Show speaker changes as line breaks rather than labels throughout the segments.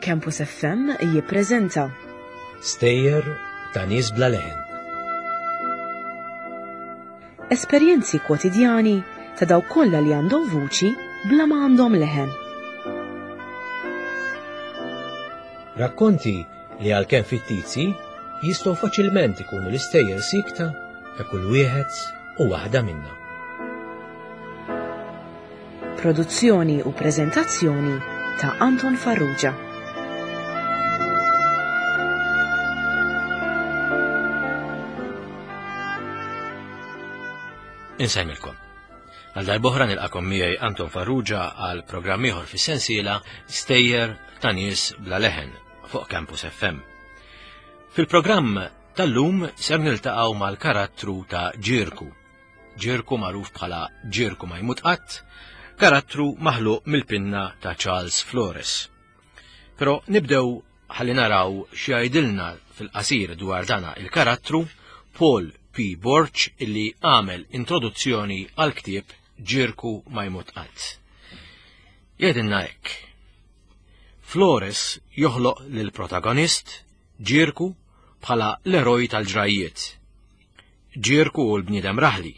Campus FM jippreżenta
Stejjer ta' nies bla leħen.
Esperjenzi kwotidjani ta' dawk kollha li għandhom vuċi bla ma għandhom leħen.
Rakkonti li għalkemm fittizji jistgħu faċilment ikunu l-istejjer sikta ta' kull wieħed u waħda minna.
Produzzjoni u preżentazzjoni ta' Anton Farrugia.
Insemmilkom. Għal darbohra nilqakom miegħi Anton Farrugia għal programm ieħor fis-sensiela Stejjer ta' nies bla leħen fuq Campus FM. Fil-programm tal-lum ser niltaqgħu mal-karattru ta' Ġirku. Ġirku magħruf bħala Ġirku ma jmut qatt, karattru maħluq mill-pinna ta' Charles Flores. Però nibdew ħalli naraw x'jgħidilna fil-qasir dwar dana il-karattru Paul P. Borg illi għamel introduzzjoni għal ktieb Ġirku ma jmut qatt. Jgħidilna hekk. Flores joħloq lill-protagonist Ġirku bħala l-eroj tal-ġrajjiet. Ġirku hu l-bniedem raħli,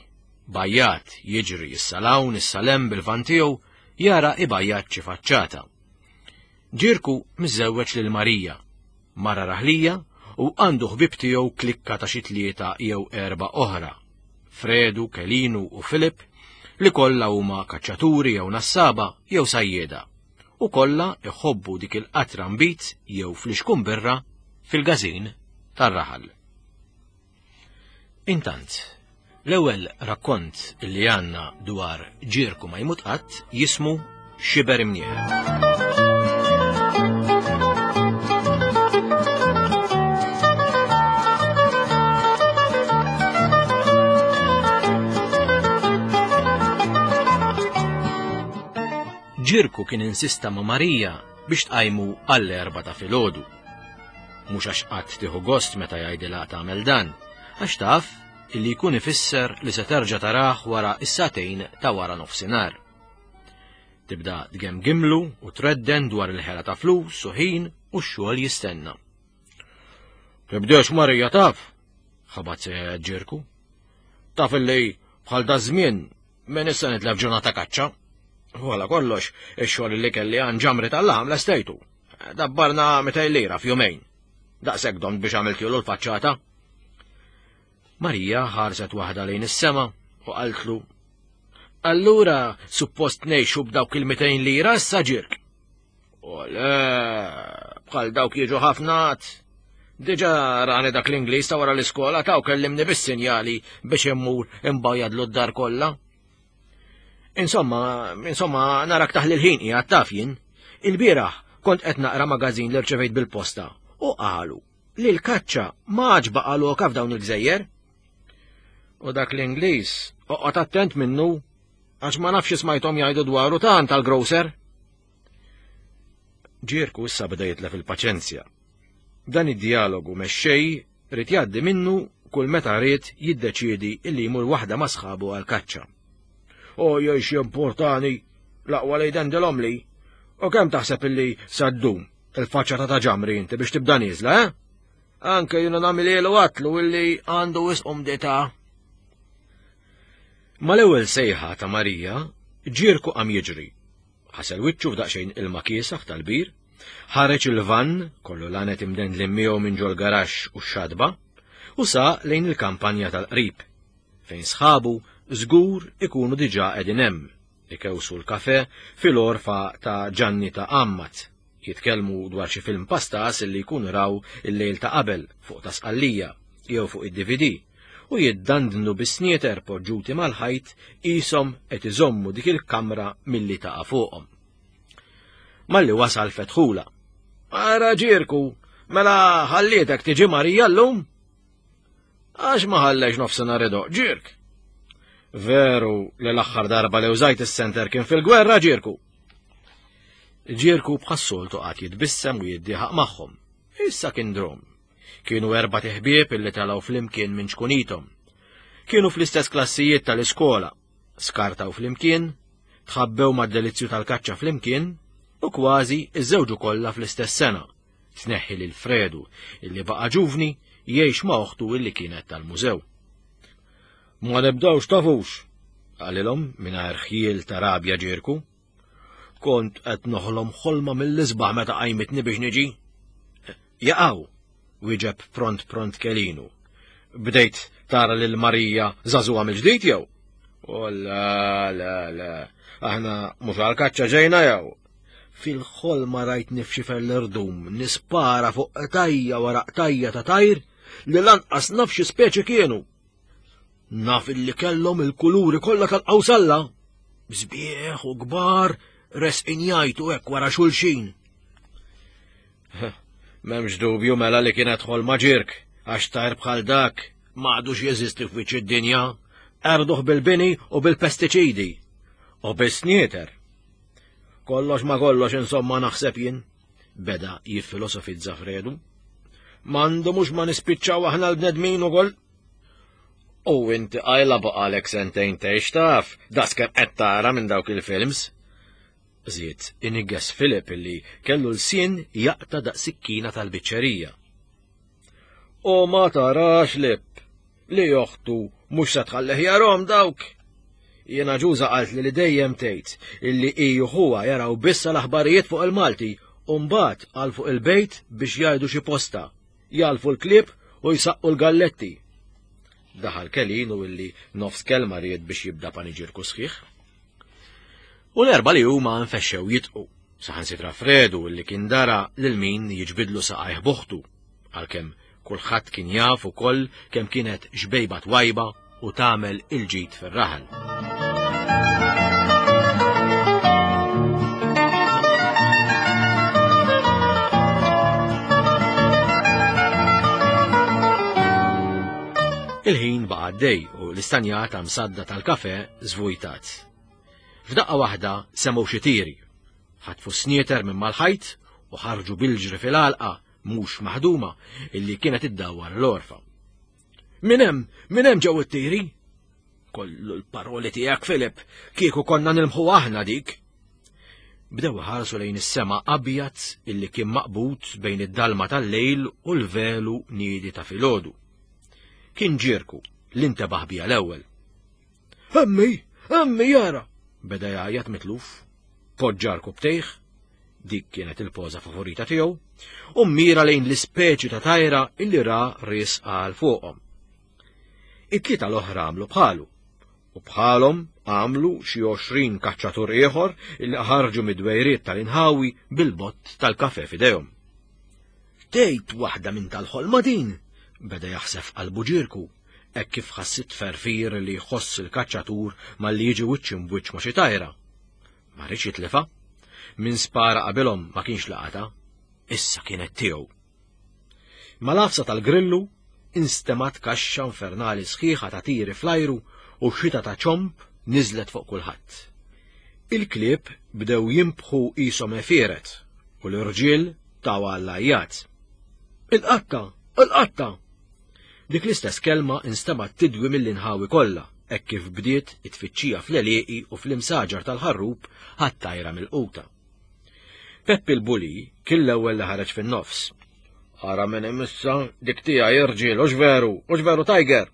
bajjat, jiġri issa 'l hawn issa 'l hemm bil-van tiegħu jara ibajjat xi faċċata. Ġirku miżżewweġ lil Marija, mara raħlija u għandu ħbieb tiegħu klikka ta' xi tlieta jew erbgħa oħra, Fredu, Kelinu u Filip, li kollha huma kaċċaturi jew nassaba jew sajjieda u kollha iħobbu dik il-qatra nbid jew flixkun birra fil-gażin tar-raħal. Intant, l-ewwel rakkont li għandna dwar ġirku ma jmut qatt jismu Xiber Imnieħer. Ġirku kien insista ma' Marija biex tqajmu għall-erba ta' filgħodu. Mhux għax qatt tieħu gost meta jgħidilha tagħmel dan, għax taf illi jkun ifisser li se terġa' tarah wara s-sagħtejn ta' wara nofsinhar. Tibda tgemgimlu u tredden dwar il-ħela ta' flus u ħin u x-xogħol jistenna. Tibdex Marija taf, ħabat se ġirku. Taf illi bħal da żmien minn issa nitlef ġurnata kaċċa. Wala kollox, ix-xogħol li kelli għan ġamri tal-laħam lestejtu. Dabbarna 200 lira f'jumejn. Daqshekk domt biex għamiltilu l-faċċata. Marija ħarset waħda lejn is-sema u qaltlu Allura suppost ngħixu b'dawk il-200 lira issa ġirk. U le, bħal dawk jiġu ħafna Diġa rani dak l-Ingliż ta' wara l-iskola ta' u kellimni bis-sinjali biex immur imbajjadlu d-dar kollha. Insomma, insomma, narak taħli l-ħin qiegħed taf jien. Il-bieraħ kont qed naqra magażin li rċevejt bil-posta u qalu li l-kaċċa ma għadx baqa' loka f'dawn il-gżejjer. U dak l-Ingliż oqgħod attent minnu għax ma nafx smajthom jgħidu dwaru tant tal-grocer. Ġirku issa beda jitlef il-paċenzja. Dan id-dialogu mexxej Ried jgħaddi minnu kull meta ried jiddeċiedi illi jmur waħda ma' sħabu għall-kaċċa. O jgħix jimportani, l-aqwa li jdendilhom li. U kemm taħseb illi sa ddum il-faċċata ta' ġamri inti biex tibda nieżla, eh? Anke jiena nagħmilielu għatlu illi għandu wisq umdità. Mal-ewwel sejħa ta' Marija, ġierku qam jiġri Ħasel wiċċu f'daqsxejn ilma kiesaħ tal-bir, ħareġ il-vann kollu lanet imdendlin miegħu minn ġol-garaxx u x-xatba, u saq lejn il-kampanja tal-qrib, fejn sħabu żgur ikunu diġà qegħdin hemm, ikewsu l-kafè fil-għorfa ta' Ġanni ta' Għammat, jitkellmu dwar xi film pastas li jkunu raw il-lejl ta' qabel fuq ta' Sqallija jew fuq id-DVD, u jiddandnu bis-snieter poġġuti mal-ħajt qishom qed iżommu dik il-kamra milli taqa' fuqhom. Malli wasal fetħula. Ara ġirku, mela ħallietek tiġi Marija llum? Għax ma ħallex nofsinhar idoq ġirk. Veru li l-aħħar darba li użajt is-senter kien fil-gwerra ġirku. Ġirku bħas-soltu qagħad jitbissem u jiddieħaq magħhom. Issa kien drom. Kienu erbat iħbieb illi telgħu flimkien minn ċkunithom. Kienu fl-istess klassijiet tal-iskola, skartaw flimkien, tħabbew mad-delizzju tal-kaċċa flimkien, U kważi iżżewġu kollha fl-istess sena, tneħħi lil Fredu, illi baqa' ġuvni jgħix ma' oħtu illi kienet tal-mużew. Ma nibdawx tafux, qalilhom mingħajr ħjiel ta' rabja ġirku. Kont qed noħlom ħolma mill-isbaħ meta qajmitni biex niġi. Jaqaw, wieġeb pront pront Kelinu. Bdejt tara lil Marija żagħżugħa mill-ġdid jew? O la, la, la, aħna mhux għall-kaċċa ġejna jew? Fil-ħolma rajt nifxifer l-irdum, nispara fuq qtajja wara qtajja ta' tajr li lanqas naf xi speċi kienu. Naf illi kellhom il-kuluri kollha tal-qawsalla. Sbieħ u kbar resqin jgħajtu hekk wara xulxin. M'hemmx dubju mela li kienet ħolma ġirk, għax tajr bħal dak m'għadux jeżisti f'wiċċ id-dinja, erduh bil-bini u bil-pestiċidi u bis-snieter. Kollox ma kollox insomma naħseb jien, beda jiffilosofizza Fredu. M'għandu mhux ma nispiċċaw aħna l-bnedmin ukoll. U inti qajla baqalek sentejn tgħix taf, daqskemm qed tara minn dawk il-films. Żied inigges Philip illi kellu lsien jaqta' daqs sikkina tal-biċċerija. U ma tarax lip li oħtu mhux se tħallih jarhom dawk. Jiena ġuża qaltli li dejjem tgħid illi hi u ħuha jaraw biss l-aħbarijiet fuq il-Malti u mbagħad għal fuq il-bejt biex jgħidu xi posta, jagħlfu l-klieb u jsaqqu l-galletti. Daħal Kelinu illi nofs kelma ried biex jibda paniġirku sħiħ. U l-erba li huma nfexxew jitqu, saħansitra Fredu li kien dara lil min jiġbidlu saqajh buħtu, għalkemm kulħadd kien jaf ukoll kemm kienet xbejba twajba u tagħmel il-ġid fir-raħal. Il-ħin baqa' għaddej u l-istanjata msadda tal-kafe żvujtat. F'daqqa waħda semgħu xi tiri. Ħatfu snieter minn mal-ħajt u ħarġu bil-ġri fil-għalqa mhux maħduma illi kienet iddawwar l-orfa. Min hemm, min hemm ġew it-tiri? Kollu l-paroli tiegħek Filip, kieku konna nilmħu aħna dik. Bdew ħarsu lejn is-sema abjad illi kien maqbud bejn id-dalma tal-lejl u l-velu niedi ta' filgħodu. Kien ġirku li ntebaħ bija l-ewwel. Emmi, emmi jara! Beda jgħajjat mitluf. Poġġa rkubtejh, dik kienet il-poża favorita tiegħu, u mira lejn l-ispeċi ta' tajra illi ra ris għal fuqhom. It-tlieta l-oħra għamlu bħalu, u bħalhom għamlu xi 20 kaċċatur ieħor illi ħarġu mid-dwejriet tal-inħawi bil-bott tal-kafe f'idejhom. Tgħid waħda minn tal-ħolma din, beda jaħseb qalbu ġirku, hekk kif ħass it-tferfir li jħoss il-kaċċatur malli jiġi wiċċ imbwiċċ ma' xi tajra. Ma riedx jitlifha. Min spara qabilhom ma kienx laqata, issa kienet tiegħu. Mal-għafsa tal-grillu instemgħet kaxxa infernali sħiħa ta' tiri fl-ajru u xita ta' ċomb niżlet fuq kulħadd. Il-klieb bdew jinbħu qishom għefieret u l-irġiel taw għall-għajjat. Il-qatta! Il-qatta! Dik l-istess kelma instemgħet tidwi mill-inħawi kollha hekk kif bdiet it-tfittxija fl-għelieqi u fl-imsaġar tal-ħarrub għat-tajra milquta. Peppi l-Buli kien l-ewwel li ħareġ fin-nofs. Ara min imissa dik tiegħi irġiel hux veru, hux veru Tiger!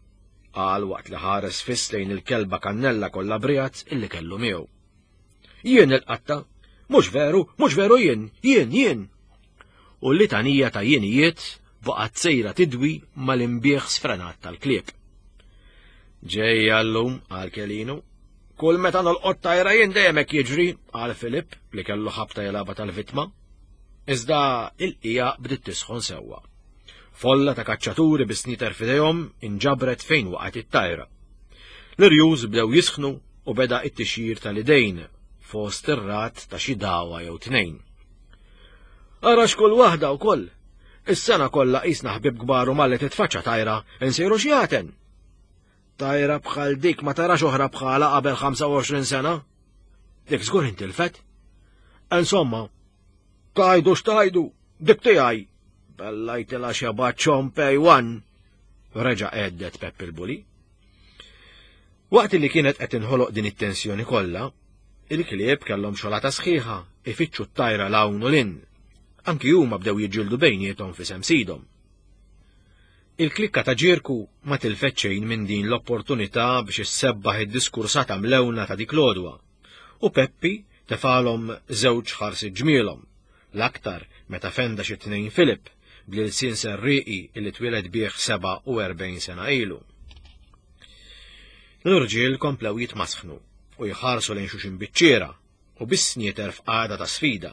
qal waqt li ħares fiss lejn il-kelba kannella kollha briegħat illi kellu miegħu. Jien il-qatta, mhux veru, mhux veru jien, jien, jien. U l-litanija ta' jienijiet baqgħet sejra tidwi mal-imbieħ sfrenat tal-klieb. Ġejja llum, qal Kelinu. Kull meta nolqot tajra jien dejjem hekk jiġri, qal Filip li kellu ħabta jilgħabha tal-vittma. Iżda il-qija bdiet tisħon sewwa. Folla ta' kaċċaturi bi snieter f'idejhom inġabret fejn waqgħet it-tajra. L-irjus bdew jisħnu u beda t-tixjir tal-idejn fost ir-rat ta' xi dagħwa jew tnejn. Ara x'kull waħda wkoll! Is-sena kollha qisna ħbieb kbar u malli titfaċċa tajra insiru xjaten! Tajra bħal dik ma tarax oħra bħala qabel 25 sena. Dik żgur intilfet. Insomma, tajdu x'tajdu, dik tiegħi. Bellajtilha xeba ċompej wan. Reġa' għeddet Pepp il-Buli. Waqt li kienet qed inħoloq din it-tensjoni kollha, il-klieb kellhom xolata sħiħa. ifittxu t-tajra 'l hawn u 'l hinn. Anki huma bdew jiġġieldu bejniethom f'isem sidhom. Il-klikka ta' Ġierku ma tilfet xejn minn din l-opportunità biex issebbaħ id-diskursata mlewna ta' dik l-għodwa, u Peppi tefgħalhom żewġ ħarsiet ġmielhom, l-aktar meta fenda xi tnejn Filip bl-ilsien serrieqi li twieled bih 47 sena ilu. L-irġiel komplew jitmasħnu u jħarsu lejn xulxin biċ-ċiera u bis-snieter f'qagħda ta' sfida.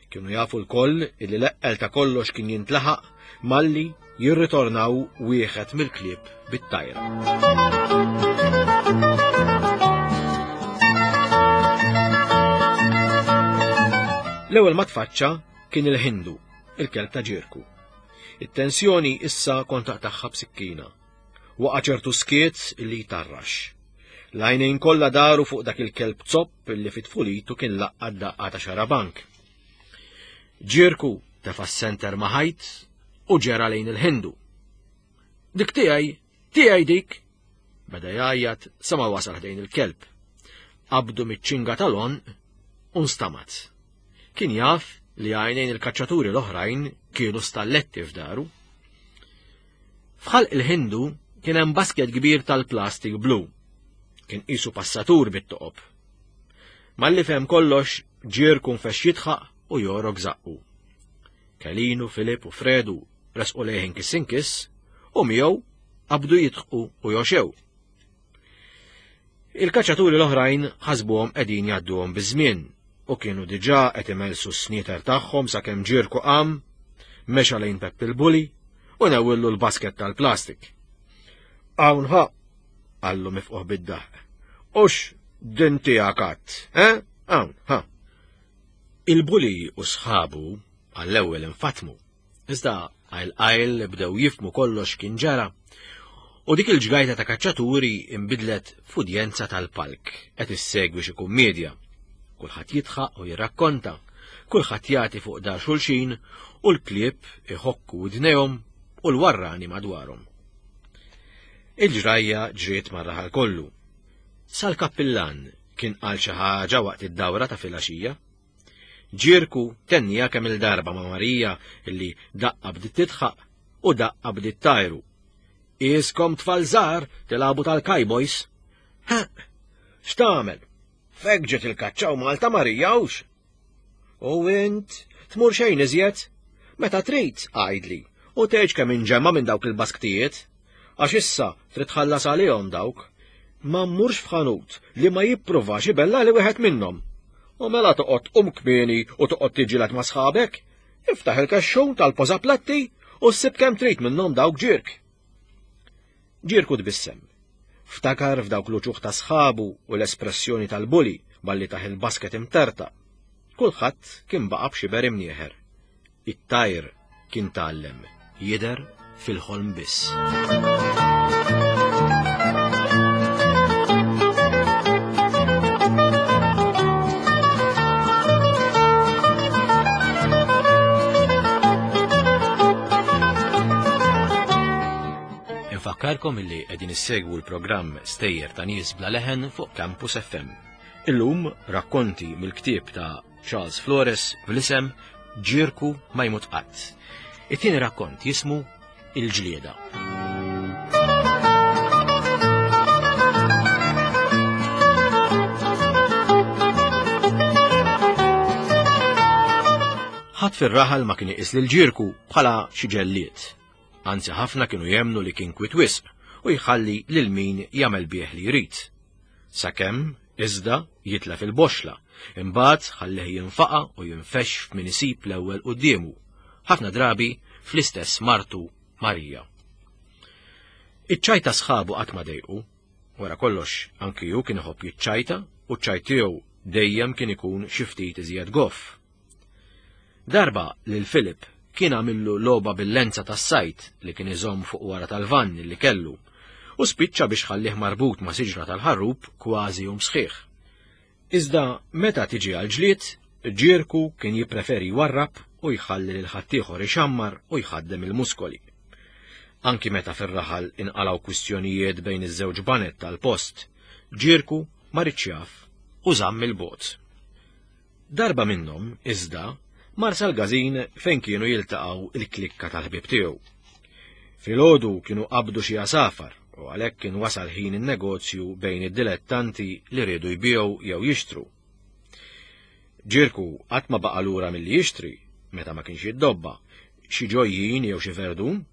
Kienu jafu lkoll illi l-eqqel ta' kollox kien jintlaħaq malli jirritornaw wieħed mill-klieb bit-tajra. L-ewwel ma tfaċċa kien il-Ħindu, il-kelb ta' Ġirku. It-tensjoni issa kont taqtagħha b'sikkina. Waqa' ċertu skiet li jtarrax. L-għajnejn kollha daru fuq dak il-kelb zopp li fi tfulitu kien laqqa daqqa ta' xarabank. Ġirku tefa' s-senter ma' ħajt u ġera lejn il-Ħindu. Dik tiegħi, tiegħi dik! Beda jgħajjat sa ma wasal ħdejn il-kelb. Qabdu miċ-ċinga tal-għonq u nstamat. Kien jaf li għajnejn il-kaċċaturi l-oħrajn kienu stalletti f'daru. F'ħalq il-Ħindu kien hemm basket kbir tal-plastik blu. Kien qisu passatur bit-toqob. Malli fehem kollox, ġier kun fex jidħaq u jorok zaqqu. Kelinu, Filip u Fredu resqu lejh inkiss inkiss u miegħu qabdu jidħqu u joxew. Il-kaċċaturi l-oħrajn ħasbuhom qegħdin jgħadduhom biż-żmien u kienu diġà qed imelsu s-snieter tagħhom sakemm Ġirku qam, mexa lejn Peppi l-Buli u newwillu l-basket tal-plastik. Hawn ħa, qallu mifquh bid-daħq. Ux din tiegħek għadd, eh? Hawn, ħa. Il-buli u sħabu għall-ewwel infatmu. Iżda qajl qajl bdew jifhmu kollox kien ġara. U dik il-ġgajta ta' kaċċaturi imbidlet f'udjenza tal-palk qed issegwi xi kummedja. Kulħadd jidħaq u jirrakkonta, kulħadd jagħti fuq dar xulxin u l-klieb iħokku widnejhom u l-warrani madwarhom. Il-ġrajja ġriet mar-raħal kollu. Sal-kappillan kien qal xi ħaġa waqt id-dawra ta' filgħaxija. Ġirku tennija kemm-il darba ma' Marija illi daqqa bdiet tidħaq u daqqa bdiet tajru. Iskom tfal żgħar tilagħbu tal-cowboys. Ha! X'tagħmel? Fek ġiet il-kaċċa u Malta Marija hux. U int tmur xejn iżjed? Meta trid, għidli, u tgħidx kemm inġemma minn dawk il-basktijiet. Għax issa trid tħallas għalihom dawk. Ma mmurx f'ħanut li ma jippruvax ibella li wieħed minnhom. U mela toqgħod tqum kmieni u toqgħod tiġġieled ma' sħabek? Iftaħ il-kexxun tal-pożaplatti u ssib kemm trid minnhom dawk ġirk. Ġirku tbissem. Ftakar f'dawk l-uċuħ ta' sħabu u l-espressjoni tal-buli malli tah il-basket imtertaq. Kulħadd kien baqa' b'xiber imnieħer. It-tajr kien tgħallem jidher fil-ħolm biss. Infakkarkom illi qegħdin issegwu l-programm Stejjer ta' Nies bla leħen fuq Campus FM. Illum rakkonti mill-ktieb ta' Charles Flores bl-isem Ġirku ma jmut qatt. It-tieni rakkont jismu Il-ġlieda. Ħadd fir-raħal ma kien iqis lil Ġirku bħala xi ġellied. Anzi ħafna kienu jemmnu li kien kwiet wisq u jħalli lil min jagħmel bih li jrid. Sakemm, iżda, jitlef il-boxxla, imbagħad ħallih jinfaqa' u jinfexx f'min isib l-ewwel quddiemu, ħafna drabi fl-istess martu Marija. Iċ-ċajt ta' sħabu qatt ma dejqu. Wara kollox, anki hu kien iħobb jiċċajta u ċ-ċajt tiegħu dejjem kien ikun xi ftit iżjed goff. Darba lil Philip kien għamillu logħba bil-lenza tas-sajd li kien iżomm fuq wara tal-vann li kellu u spiċċa biex ħallih marbut ma' siġra tal-ħarrub kważi jum sħiħ. Iżda meta tiġi għall-ġlied, Ġierku kien jippreferi jwarrab u jħalli lil ħaddieħor ixammar u jħaddem il-muskoli. Anki meta fir-raħal inqalgħu kwistjonijiet bejn iż-żewġ baned tal-post, Ġierku ma riedx jaf u żamm 'il bogħod. Darba minnhom, iżda, mar sal-gażin fejn kienu jiltaqgħu il-klikka tal-ħbieb tiegħu. Filgħodu kienu qabdu xi għasafar u għalhekk kien wasal ħin in-negozju bejn id-dilettanti li riedu jbigħu jew jixtru. Ġirku qatt ma baqa' lura milli jixtri, meta ma kienx jiddobba, xi ġojjin jew xi verdun.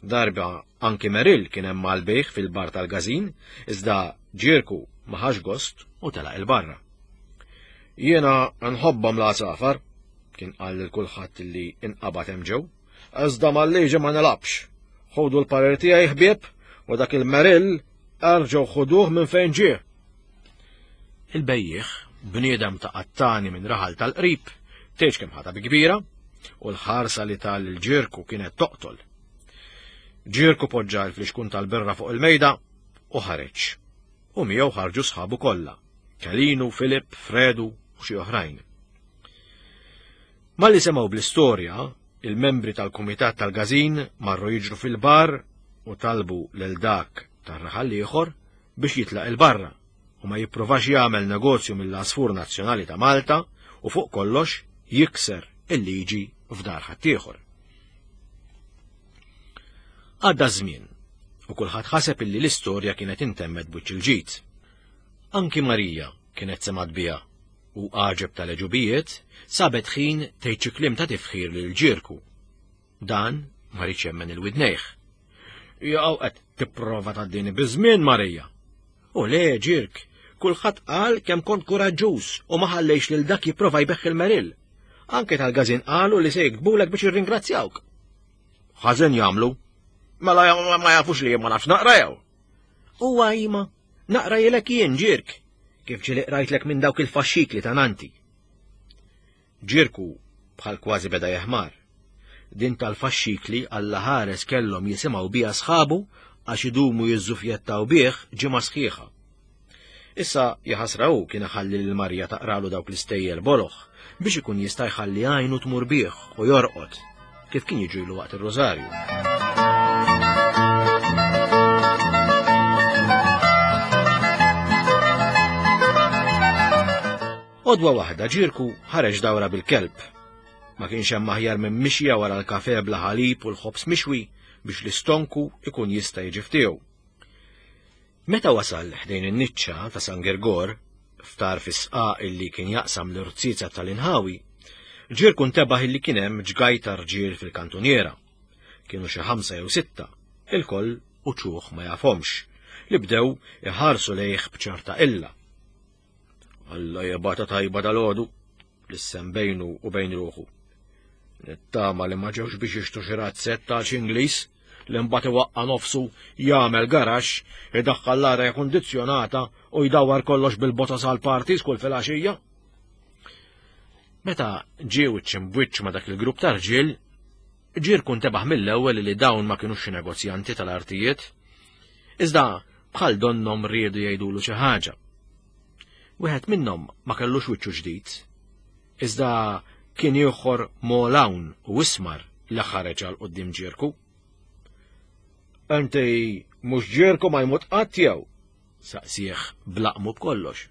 Darba anki Meril kien hemm għall-bejgħ fil-bar tal-gażin, iżda Ġirku ma ħax gost u telaq il-barra. Jiena nħobbhom l-għasafar, kien qal lil kulħadd li inqabad hemm ġew. Iżda mal-liġi ma nilgħabx. Ħudu l-parir tiegħi ħbieb u dak il-Meril erġgħu ħuduh minn fejn ġie. Il-bejjiegħ, bniedem ta' qattani minn raħal tal-qrib, tgħidx kemm ħadha bi kbira, u l-ħarsa li ta lil Ġirku kienet toqtol. Ġirku poġġa l-flixkun tal-birra fuq il-mejda u ħareġ. U miegħu ħarġu sħabu kollha, Kelinu, Filip, Fredu u xi oħrajn. Malli semgħu bl-istorja, il-membri tal-kumitat tal-gażin marru jiġru fil-bar u talbu lil dak tar-raħal ieħor biex jitlaq il-barra u ma jipprovax jagħmel negozju mill-għasfur nazzjonali ta' Malta u fuq kollox jikser il-liġi f'dar ħaddieħor. Għadda żmien u kulħadd ħaseb illi l-istorja kienet intemmet b'wiċċ il-ġid. Anki Marija kienet semgħet biha u għaġeb tal-għeġubijiet sabet ħin tgħid xi kliem ta' tifħir lil Ġirku. Dan ma riedx jemmen il-widnejh. Jaqgħu qed tipprova tgħaddini biż-żmien Marija. U le Ġirk, kulħadd qal kemm kont kuraġġuż u ma ħallejx lil dak jipprova jbeħħ il-Meril. Anke tal-gażin qalu li se jiktbulek biex jirringrazzjawk. Ħażin jagħmlu. Mela ma jafux li ma nafx naqra jew. Huwa ima, naqra jilek jien Ġirk, kif ġieli qrajtlek minn dawk il-faxxikli ta' nanti. Ġirku bħal kważi beda jeħmar. Din tal-faxxikli Alla ħares kellhom jisimgħu biha sħabu għax idumu jiżżufjettaw bih ġimgħa sħiħa. Issa jaħasra hu kien iħalli lil Marija taqralu dawk l-istejjer boloh biex ikun jista' jħalli għajnu tmur bih u jorqod, kif kien jiġrilu waqt ir-Rużarju. Għodwa waħda Ġirku ħareġ dawra bil-kelb. Ma kienx hemm aħjar minn mixja wara l-kafe bla ħalib u l-ħobż mixwi biex l-istonku ikun jista' jiġi ftiegħu. Meta wasal ħdejn in-niċċa ta' San Girgor, f'tarf is-sqaq illi kien jaqsam l-irziezet tal-inħawi, Ġirku ntebaħ illi kien hemm ġgajta rġiel fil-kantuniera. Kienu xi ħamsa jew sitta, ilkoll uċuħ ma jafhomx, li bdew iħarsu lejh b'ċerta qilla. Alla jibgħatha tajba dalgħodu, lissen bejnu u bejn ruħu. Nittama li ma ġewx biex jixtru xi razzett għal xi Ingliż li mbagħad iwaqqa' nofsu jagħmel garaxx, idaħħal l-arja kundizzjonata u jdawwar kollox bil-botas għal parties kull filgħaxija. Meta ġie wiċċ imbwiċċ ma' dak il-grupp ta' rġiel, Ġirku ntebaħ mill-ewwel li dawn ma kinux xi negozjanti tal-artijiet, iżda bħal donnhom riedu jgħidulu xi ħaġa. Wieħed minnhom ma kellux wiċċu ġdid, iżda kien ieħor m'għol hawn u ismar li ħareġ għal quddiem Ġirku. Inti mhux Ġirku ma jmut qatt jew? saqsih b'laqmu b'kollox.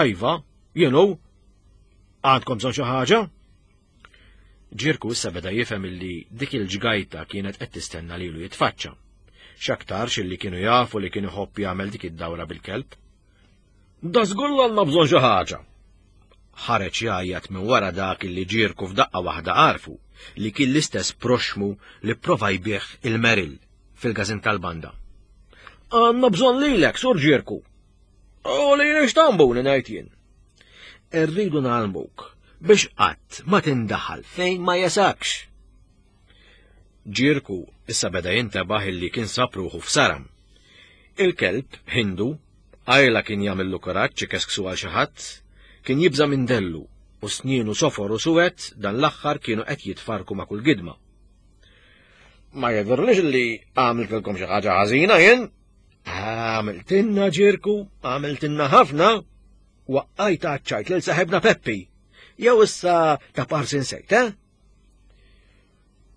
Iva, jien hu. Għandkom bżonn xi ħaġa? Ġirku issa beda jifhem illi dik il-ġgajta kienet qed tistenna lilu jitfaċċa. X'aktarx illi kienu jafu li kien iħobb jagħmel dik id-dawra bil-kelb. Da żgur għandna bżonn xi ħaġa. Ħareġ jgħajjat minn wara dak illi Ġirku f'daqqa waħda għarfu li kien l-istess proxxmu li pprova jbigħ il-Meril fil-każin tal-banda. Għandna bżonn lilek, Sur Ġirku. U lili x'tambuni ngħid jien. Irridu ngħallmuk biex qatt ma tindaħal fejn ma jesakx. Ġirku issa beda jintebaħ illi kien sab ruħu f'saram. Il-kelb, Hindu, għajla kien jagħmillu kuraġġ ikesksu għal xi ħadd, kien jibża' minn dellu u snienu sofor u suwed dan l-aħħar kienu qed jitfarku ma' kull gidma. Ma jidhirlix li għamiltilkom xi ħaġa ħażina jien? Għamiltilna Ġirku, għamiltilna ħafna. Waqqajt għaċċajt lil saħibna Peppi. Jew issa ta' parsi nsejt, eh?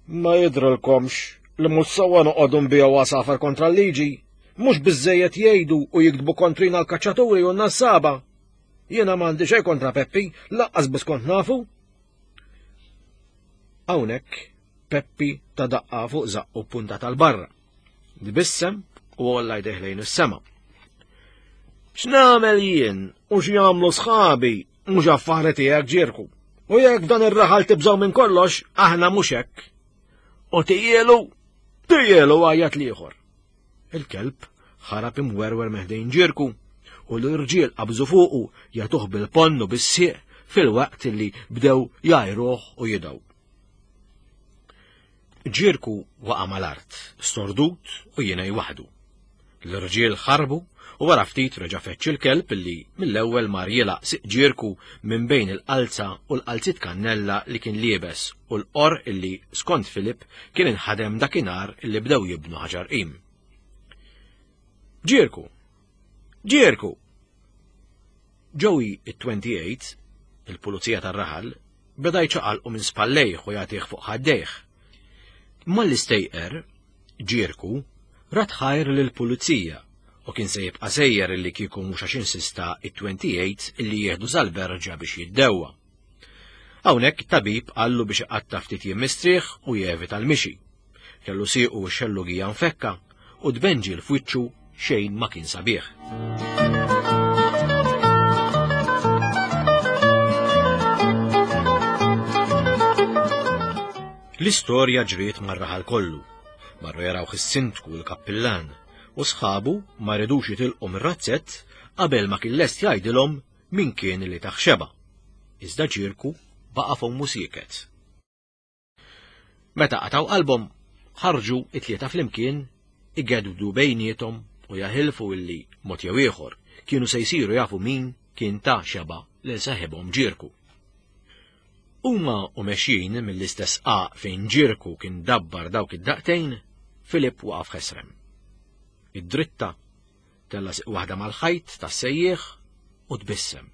Ma jidrilkomx li mhux sewwa noqogħdu nbigħu għasafar kontra l-liġi. Mhux biżejjed jgħidu u jiktbu kontrina l-kaċċaturi u n-nassaba. Jiena m'għandi xejn kontra Peppi, laqqas biss kont nafu. Hawnhekk Peppi ta daqqa fuq zaqqu punta tal-barra. Tbissem u għolla jdejh lejn is-sema. X'nagħmel jien u x'jagħmlu sħabi mhux affari tiegħek ġirku. U jekk f'dan ir-raħal tibżgħu minn kollox, aħna mhux hekk. U tijielu, tijielu għajat l-ieħor. Il-kelb ħarab imwerwer meħdejn ġirku u l-irġiel qabżu fuqu jagħtuh bil-ponn u bis-sieq fil-waqt li bdew jgħajruh u jidgħu. Ġirku waqa' mal-art, stordut u jingħi waħdu. L-irġiel ħarbu u wara ftit reġa' feċċ il-kelb li mill-ewwel mar jilgħaq siq Ġirku minn bejn il-qalza u l-qalziet kannella li kien liebes u l-qorq illi, skont Filip, kien inħadem dakinhar illi bdew jibnu Ħaġar Qim. Ġirku! Ġirku! Joey it-28, il-pulizija tar-raħal, beda jċaqalqu minn spallejh u jagħtih fuq ħaddejh. Malli stejqer, Ġierku, rat ħajr lill-pulizija u kien se jibqa' sejjer illi kieku mhux għax insista it-28 illi jieħdu sal-berġa biex jiddewwa. Hawnhekk it-tabib qallu biex iqatta' ftit jiem mistrieħ u jevita l-mixi. Kellu siequ u x-xellugija nfekka u tbenġil f'wiċċu xejn ma kien sabiħ. L-istorja ġriet mar-raħal kollu. Marru jarawh is-sindku u l-kappillan u sħabu ma ridux jitilqu mir-razzett qabel ma kien lest jgħidilhom min kien li tah xeba'. Iżda Ġirku baqa' fommu sieket. Meta qatgħu qalbhom, ħarġu it-tlieta flimkien igedwdu bejniethom u jaħilfu illi, mod jew ieħor, kienu se jsiru jafu min kien ta xeba' lil seħibhom Ġirku. Huma u mexjin mill-istess qaq fejn Ġirku kien dabbar dawk id-daqtejn, Filip waqaf ħesrem. Id-dritta Tella' siq waħda mal-ħajt tas-sejjieħ u tbissem.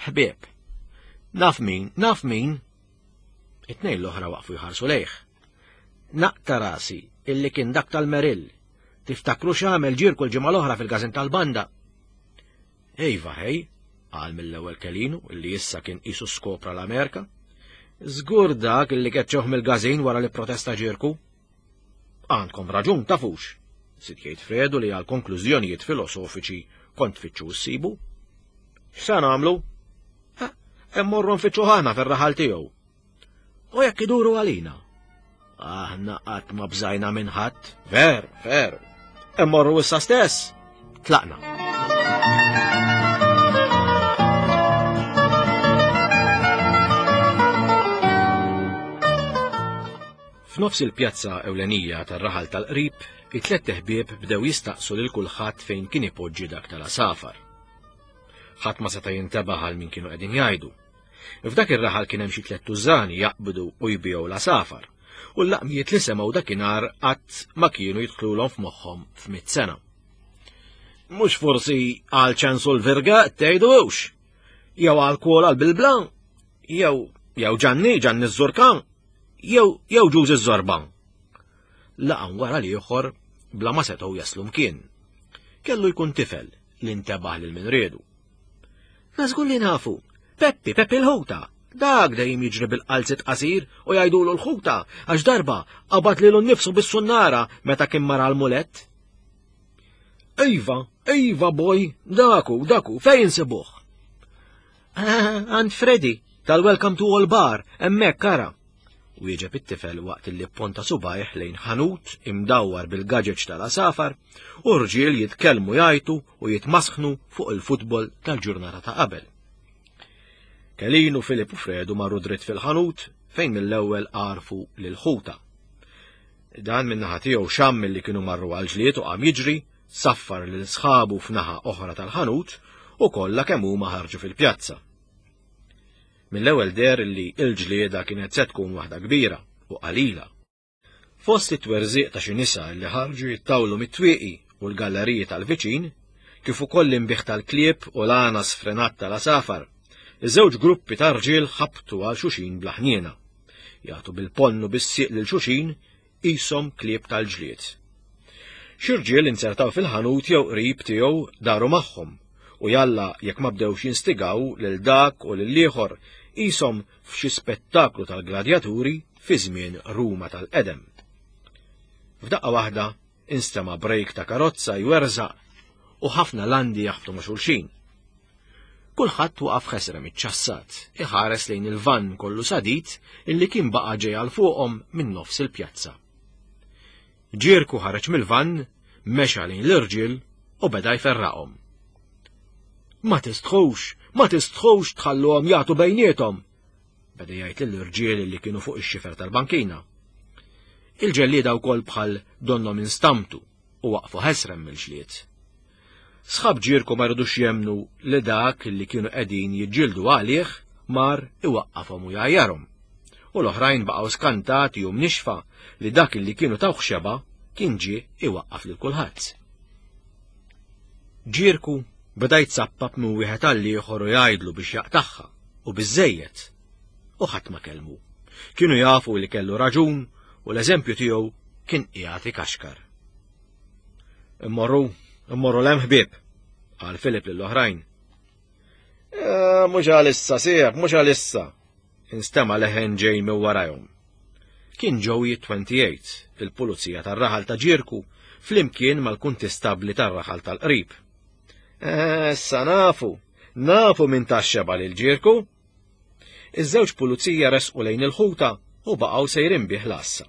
Ħbieb, naf min, naf min! It-tnejn l-oħra waqfu jħarsu lejh. Naqta' rasi illi kien dak tal-Merill. Tiftakru x'għamel ġirku l-ġimgħa l-oħra fil-każin tal-banda? Ejva ħej, qal mill-ewwel Kelinu illi issa kien qisu skopra l-Amerika. Żgur dak illi keċċewh mill-każin wara li protesta ġirku. Għandkom raġun tafux, żied jgħid Fredu li għal konklużjonijiet filosofiċi kont tfittxu ssibu. X'sa nagħmlu? Immorru nfittxu aħna fir-raħal tiegħu. U jekk iduru għalina? Aħna qatt ma bżajna minn ħadd. Ver, ver. Immorru issa stess. Tlaqna. F'nofs il-pjazza ewlenija tar-raħal tal-qrib, it-tlett iħbieb bdew jistaqsu lil kulħadd fejn kien ipoġġi dak tal-għasafar. Ħadd ma seta' jintebaħ għal min kienu qegħdin jgħidu. F'dak ir-raħal kien hemm xi tlett tużani jaqbdu u jbigħu l-għasafar, u l-laqmijiet li semgħu dakinhar qatt ma kienu jidħlulhom f'moħħhom f'mitt sena. Mhux forsi għal ċensu l-virga tgħidu hux? Jew għal kwola l-bilbla? Jew jew Ġanni, Ġanni ż-Żurka? Jew jew Ġużi ż-Żorba? Laqam wara l-ieħor bla ma setgħu jaslu mkien. Kellu jkun tifel li ntebaħ lil min riedu. Na żgur li nafu. Peppi, Peppi l-ħuta. Dak dejjem jiġri bil-qalzit qasir u jgħidulu l-ħuta għax darba qabad lilu nnifsu bis-sunnara meta kien mara l-mulett. Iva, iva boy, daku, daku, fejn insibuh? Ah, għand Freddy, tal-Welcome to All Bar, hemmhekk ara. Wieġeb it-tifel waqt li pponta subajh lejn ħanut imdawwar bil-gaġeġ tal-għasafar u rġiel jitkellmu jgħajtu u jitmasħnu fuq il-futbol tal-ġurnata ta' qabel. Kelinu, Filip u Fredu marru dritt fil-ħanut fejn mill-ewwel għarfu lil ħuta. Dan min-naħa tiegħu xamm li kienu marru għal ġlied u qam jiġri, saffar lil sħabu f'naħa oħra tal-ħanut u kollha kemm huma ħarġu fil-pjazza. Mill-ewwel deher li l-ġlieda kienet se tkun waħda kbira u qalila. Fost it-twerżiq ta' xi nisa li ħarġu jittawlu mit-twieqi u l-galleriji tal-viċin, kif ukoll l-inbiħ tal-klieb u l-għana sfrenat tal-għasafar, iż-żewġ gruppi ta' rġiel ħabtu għal xulxin bla ħniena. Jagħtu bil-ponn u bis-sieq lil xulxin qishom klieb tal-ġlied. Xi rġiel inzertaw fil-ħanut jew qrib tiegħu daru magħhom. U jalla jekk ma bdewx jinstigaw lil dak u lil ieħor qishom f'xi spettaklu tal-gladjaturi fi żmien Ruma tal-qedem. F'daqqa waħda instema' brejk ta' karozza jwerżaq u ħafna landi jaħbtu ma' xulxin. Kulħadd waqaf ħesrem iċċassat, iħares lejn il-vann kollu sadid illi kien baqa' ġej għal fuqhom minn nofs il-pjazza. Ġierku ħareġ mill-vann, mexa lejn l-irġiel u beda jferraqhom. Ma tistħux, ma tistħux tħalluhom jagħtu bejniethom, beda jgħid lill-irġiel li kienu fuq ix-xifer tal-bankina. Il-ġellieda wkoll bħal donhom instamtu u waqfu ħesrem mill-ġlied. Sħab ġierku ma ridux jemmnu li dak li kienu qegħdin jiġġieldu għalih mar iwaqqafhom u jgħajjarhom. U l-oħrajn baqgħu skantati u mnixfa li dak li kienu tawh xeba kien ġie iwaqqaf lil kulħadd. Ġierku beda jitsappap minn wieħed għal ieħor u jgħidlu biex jaqtagħha u biżżejjed. U ħadd ma kellmu. Kienu jafu li kellu raġun u l-eżempju tiegħu kien qiegħed ikaxkar. Immorru, immorru l-hemm ħbieb, qal Filip lill-oħrajn. Eh, mhux għalissa, sieħ, mhux għalissa, instema' leħen ġej minn warajhom. Kien Joey 28, il-pulizija tar-raħal ta' Ġirku, flimkien mal-kuntistabbli tar-raħal tal-qrib. Eh, issa nafu, nafu minn taxxeba lil Ġirku. Iż-żewġ pulizija resqu lejn il-ħuta u baqgħu sejrin bih l-għassa.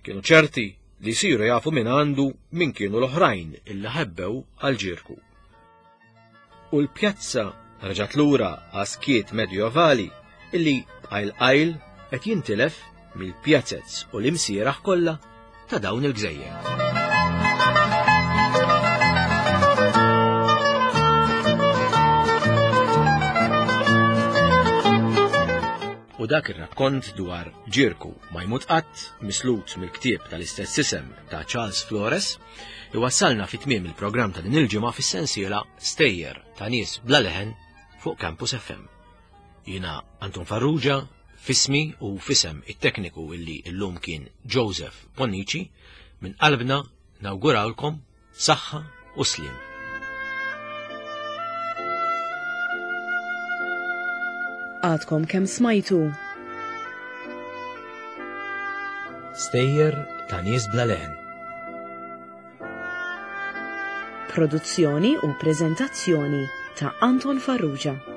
Kienu ċerti li jsiru jafu minn għandu min kienu l-oħrajn illi ħebbew għal ġirku. U l-pjazza reġgħet lura għas-skiet medjovali illi qajl qajl qed jintilef mill-pjazez u l-imsieraħ kollha ta' dawn il-gżejjer. U dak ir-rakkont dwar Ġirku ma jmut qatt, mislut mill-ktieb tal-istess isem ta' Charles Flores, iwassalna fi tmiem il-programm ta' din il-ġimgħa fis-sensiela Stejjer ta' nies bla leħen fuq Campus FM. Jiena Anton Farrugia, fismi u fisem it-tekniku illi illum kien Joseph Bonnici, minn qalbna nawgurawlkom saħħa u sliem.
Għadkom kemm smajtu.
Stejjer ta' nies bla leħen.
Produzzjoni u preżentazzjoni ta' Anton Farrugia.